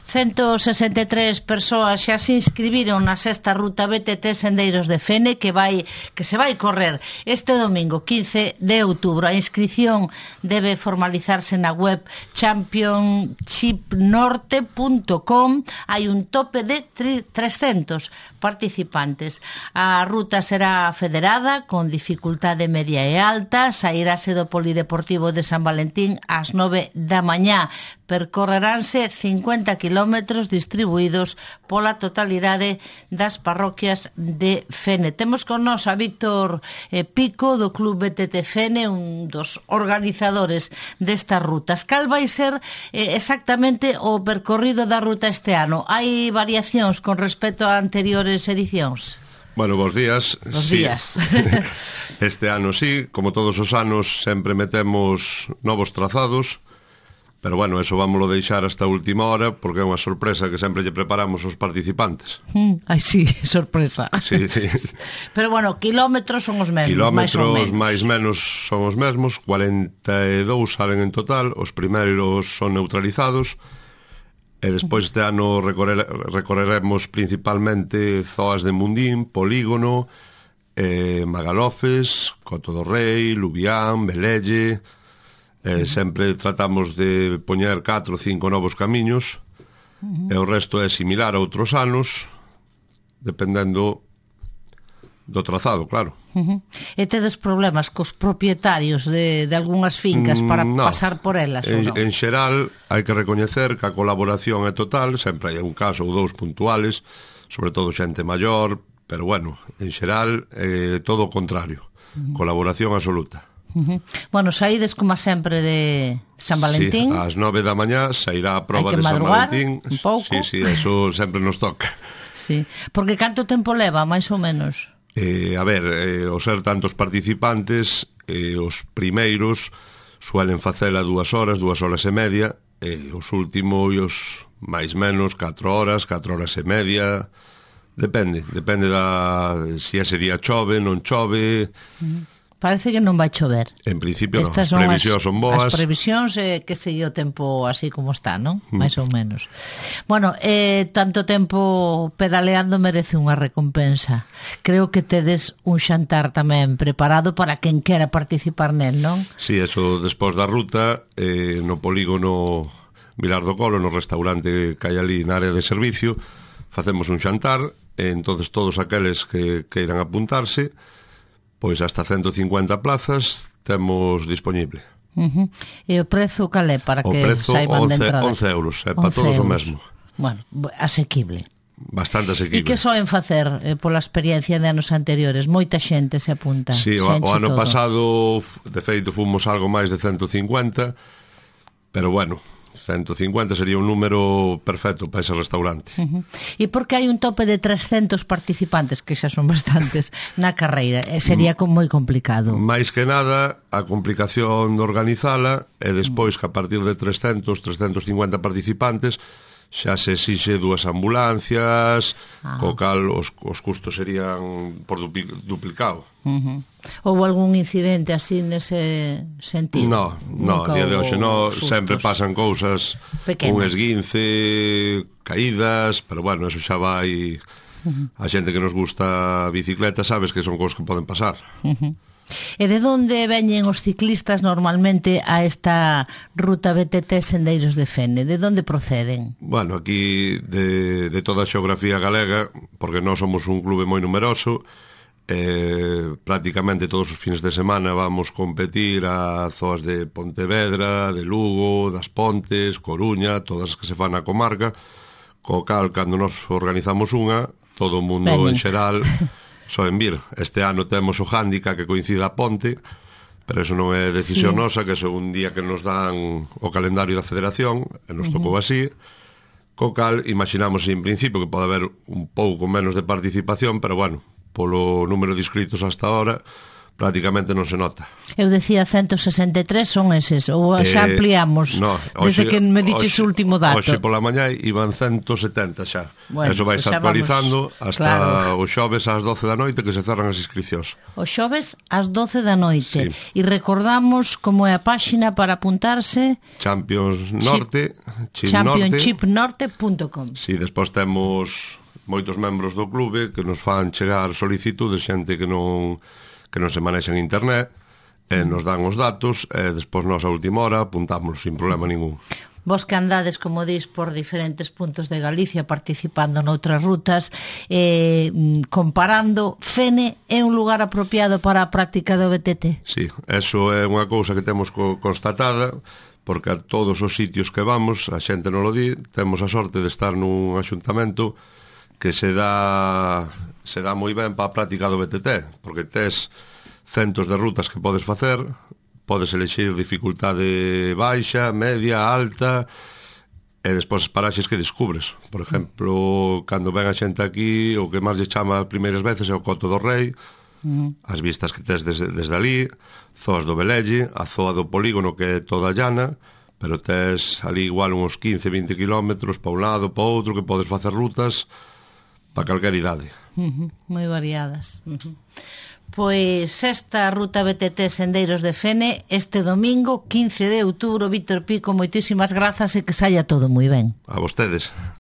163 persoas xa se inscribiron na sexta ruta BTT Sendeiros de Fene que se vai correr este domingo 15 de outubro. A inscripción debe formalizarse na web championshipnorte.com. Hai un tope de 300 participantes. A ruta será federada con dificultade media e alta. Sairase do Polideportivo de San Valentín ás 9 da mañá. Percorreránse 50 kilómetros distribuídos pola totalidade das parroquias de Fene. Temos con nós a Víctor Pico do Club BTT Fene, un dos organizadores destas rutas. Cal vai ser exactamente o percorrido da ruta este ano? Hai variacións con respecto a anteriores edicións? Bueno, bons días. Bons días. Este ano sí, como todos os anos, sempre metemos novos trazados. Pero bueno, eso vámoslo deixar hasta a última hora porque é unha sorpresa que sempre lle preparamos aos participantes. Ai, sí, sorpresa. Sí, sí. Pero bueno, kilómetros son os mesmos, kilómetros máis menos son os mesmos, 42 salen en total, os primeiros son neutralizados, e despois este ano recorreremos principalmente zoas de Mundín, Polígono, Magalofes, Coto do Rei, Lubián, Velelle. Sempre tratamos de poñer 4 ou 5 novos camiños, e o resto é similar a outros anos, dependendo do trazado, claro. E tedes problemas cos propietarios de algunhas fincas para pasar por elas, ou non? En xeral, hai que recoñecer que a colaboración é total, sempre hai un caso ou dous puntuales, sobre todo xente maior, pero bueno, en xeral, todo o contrario, colaboración absoluta. Bueno, saídes como sempre de San Valentín. Sí, ás 9 da mañá sairá a proba de San Valentín. Un pouco. Sí, eso sempre nos toca. Sí, porque canto tempo leva, máis ou menos? A ver, ao ser tantos participantes, os primeiros suelen facela 2 horas e media, os últimos máis menos 4 horas e media. Depende se ese día chove, non chove. Parece que non vai chover. En principio non, as previsións son boas. As previsións que segue o tempo así como está, non? Mais ou menos. Bueno, tanto tempo pedaleando merece unha recompensa. Creo que tedes un xantar tamén preparado para quen quera participar nel, non? Sí, eso despois da ruta, no polígono Vilar do Colo, no restaurante que hai ali na área de servicio, facemos un xantar, e entonces todos aqueles que queiran apuntarse, pois hasta 150 plazas temos disponible. E o prezo cal é para que saiban de entrada? 11 euros, é para todos o mesmo. Bueno, asequible. Bastante asequible. E que soen facer pola experiencia de anos anteriores? Moita xente se apunta. Sí, o ano pasado, de feito, fomos algo máis de 150, pero bueno, 150 sería un número perfecto para ese restaurante. E por que hai un tope de 300 participantes, que xa son bastantes, na carreira? Sería moi complicado. Mais que nada, a complicación de organizala é despois que a partir de 350 participantes xa se exixe 2 ambulancias, co cal os custos serían por duplicado. Houve algún incidente así nese sentido? No, a día de hoxe sempre pasan cousas, un esguince, caídas, pero bueno, eso xa vai a xente que nos gusta a bicicleta, sabes que son cousas que poden pasar. E de onde veñen os ciclistas normalmente a esta ruta BTT Sendeiros de Fene? De onde proceden? Bueno, aquí de toda a xeografía galega, porque nós somos un clube moi numeroso, prácticamente todos os fins de semana vamos competir a zoas de Pontevedra, de Lugo, das Pontes, Coruña, todas as que se fan na comarca, co cal, cando nos organizamos unha, todo o mundo en xeral soen vir. Este ano temos o hándicap que coincide a ponte, pero eso non é decisión nosa, que é un día que nos dan o calendario da federación, e nos tocou así, co cal imaginamos en principio que pode haber un pouco menos de participación, pero bueno, polo número de inscritos hasta ahora, prácticamente non se nota. Eu decía 163 son eses, ou xa ampliamos desde que me diches o último dato. Hoxe pola mañá iban 170 xa. Bueno, eso vais actualizando hasta claro. o xoves ás 12 da noite que se cerran as inscripcións. O xoves ás 12 da noite. Sí. E recordamos como é a páxina para apuntarse. Championshipnorte.com. Si, despois temos moitos membros do clube que nos fan chegar solicitudes, xente que non se manexa en internet, nos dan os datos, e despois nós a última hora apuntamos sin problema ningún. Vos que andades, como dis, por diferentes puntos de Galicia participando noutras rutas, comparando, Fene é un lugar apropiado para a práctica do BTT? Sí, eso é unha cousa que temos constatada, porque a todos os sitios que vamos, a xente non lo di, temos a sorte de estar nun axuntamento que se dá moi ben para a práctica do BTT, porque tes centos de rutas que podes facer, podes elexir dificultade baixa, media, alta, e despois paraxes que descubres. Por exemplo, cando ven a xente aquí, o que máis lle chama as primeiras veces é o Coto do Rei, as vistas que tes desde ali, zoas do Velelle, a zoa do polígono que é toda llana, pero tes ali igual uns 15-20 kilómetros para un lado, para outro, que podes facer rutas para calquer idade. Moi variadas. Pois esta ruta BTT Sendeiros de Fene este domingo 15 de outubro. Víctor Pico, moitísimas grazas e que saia todo moi ben. A vostedes.